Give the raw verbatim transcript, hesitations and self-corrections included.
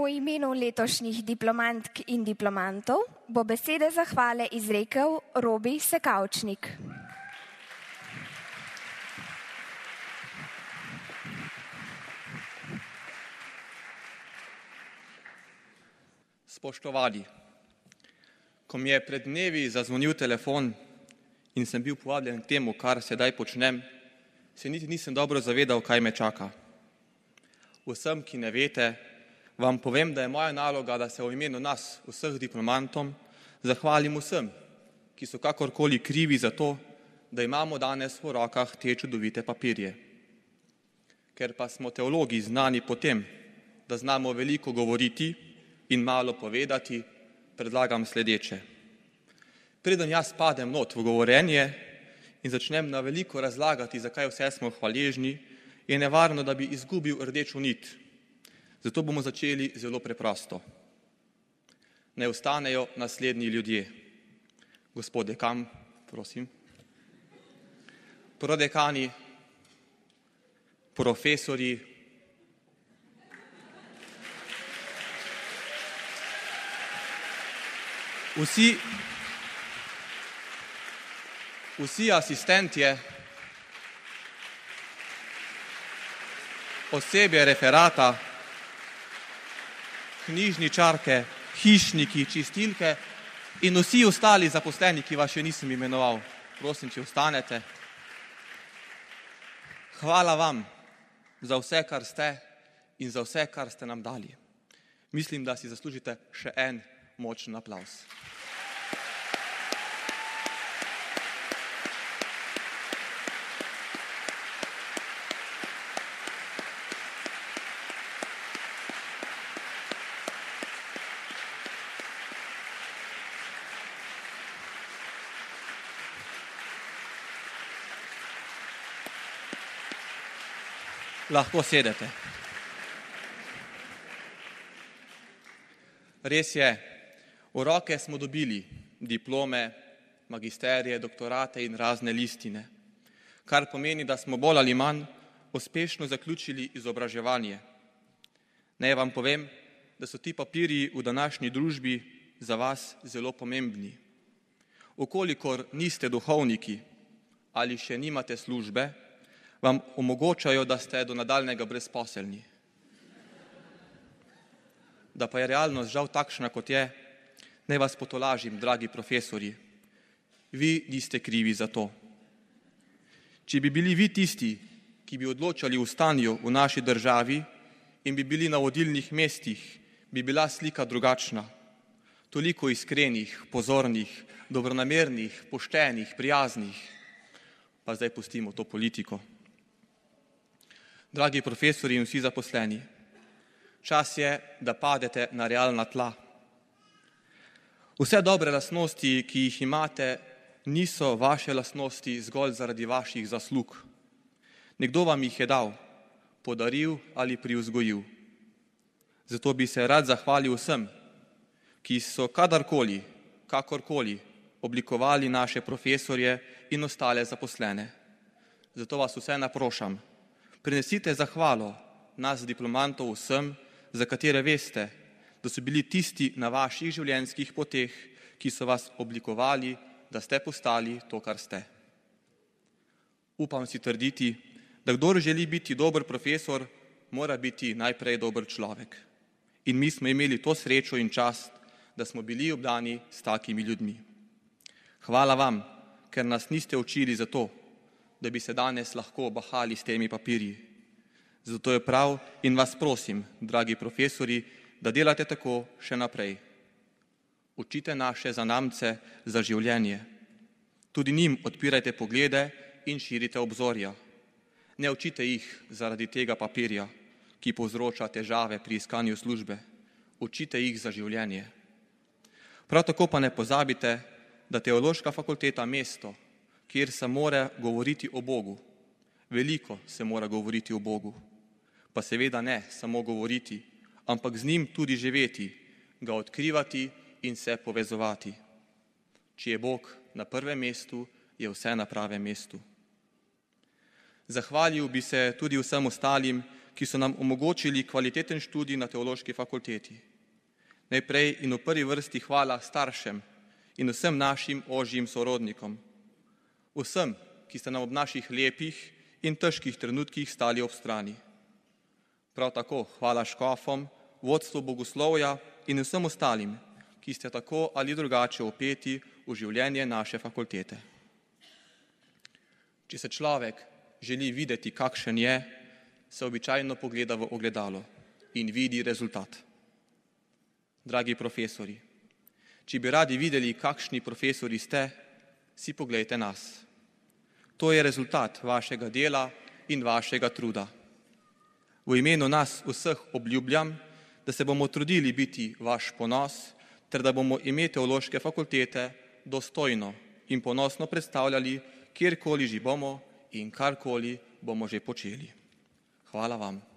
V imenu letošnjih diplomantk in diplomantov bo besede zahvale izrekel Robi Sekavčnik. Spoštovani, ko mi je pred dnevi zazvonil telefon in sem bil povabljen k temu, kar sedaj počnem, se niti nisem dobro zavedal, kaj me čaka. Vsem, ki ne veste, vam povem, da je moja naloga, da se v imenu nas, vseh diplomantom, zahvalim vsem, ki so kakorkoli krivi za to, da imamo danes v rokah te čudovite papirje. Ker pa smo teologi znani po tem, da znamo veliko govoriti in malo povedati, predlagam sledeče. Preden jaz padem not v govorenje in začnem na veliko razlagati, zakaj vse smo hvaležni, je nevarno, da bi izgubil rdečo nit. Zato bomo začeli zelo preprosto. Naj ostanejo naslednji ljudje. Gospod dekan, prosim. Prodekani, profesorji, vsi, vsi asistentje, osebje referata, knjižničarke, hišniki, čistilke in vsi ostali zaposleni, ki vas še nisem imenoval. Prosim, če ostanete. Hvala vam za vse, kar ste in za vse, kar ste nam dali. Mislim, da si zaslužite še en močen aplavz. Lahko sedete. Res je, v roke smo dobili diplome, magisterije, doktorate in razne listine, kar pomeni, da smo bolj ali manj uspešno zaključili izobraževanje. Naj vam povem, da so ti papirji v današnji družbi za vas zelo pomembni. Ukolikor niste duhovniki ali še nimate službe, vam omogočajo, da ste do nadaljnega brezposelni. Da pa je realnost žal takšna, kot je, naj vas potolažim, dragi profesorji. Vi niste krivi za to. Če bi bili vi tisti, ki bi odločali o stanju v naši državi in bi bili na vodilnih mestih, bi bila slika drugačna. Toliko iskrenih, pozornih, dobronamernih, poštenih, prijaznih. Pa zdaj pustimo to politiko. Dragi profesori in vsi zaposleni, čas je, da padete na realna tla. Vse dobre lastnosti, ki jih imate, niso vaše lastnosti zgolj zaradi vaših zaslug. Nekdo vam jih je dal, podaril ali privzgojil. Zato bi se rad zahvalil vsem, ki so kadarkoli, kakorkoli oblikovali naše profesorje in ostale zaposlene. Zato vas vse naprošam, prinesite zahvalo nas diplomantov vsem, za katere veste, da so bili tisti na vaših življenjskih poteh, ki so vas oblikovali, da ste postali to, kar ste. Upam si trditi, da kdor želi biti dober profesor, mora biti najprej dober človek. In mi smo imeli to srečo in čast, da smo bili obdani s takimi ljudmi. Hvala vam, ker nas niste učili za to, da bi se danes lahko bahali s temi papirji. Zato je prav in vas prosim, dragi profesori, da delate tako še naprej. Učite naše zanamce za življenje. Tudi njim odpirajte poglede in širite obzorja. Ne učite jih zaradi tega papirja, ki povzroča težave pri iskanju službe. Učite jih za življenje. Prav tako pa ne pozabite, da Teološka fakulteta mesto, kjer se mora govoriti o Bogu. Veliko se mora govoriti o Bogu. Pa seveda ne samo govoriti, ampak z njim tudi živeti, ga odkrivati in se povezovati. Če je Bog na prvem mestu, je vse na pravem mestu. Zahvalil bi se tudi vsem ostalim, ki so nam omogočili kvaliteten študij na teološki fakulteti. Najprej in v prvi vrsti hvala staršem in vsem našim ožjim sorodnikom. Vsem, ki ste nam ob naših lepih in težkih trenutkih stali ob strani. Prav tako hvala škofom, vodstvu bogoslovja in vsem ostalim, ki ste tako ali drugače vpeti v življenje naše fakultete. Če se človek želi videti, kakšen je, se običajno pogleda v ogledalo in vidi rezultat. Dragi profesori, če bi radi videli, kakšni profesori ste, si poglejte nas. To je rezultat vašega dela in vašega truda. V imenu nas vseh obljubljam, da se bomo trudili biti vaš ponos, ter da bomo ime teološke fakultete dostojno in ponosno predstavljali, kjerkoli že bomo in karkoli bomo že počeli. Hvala vam.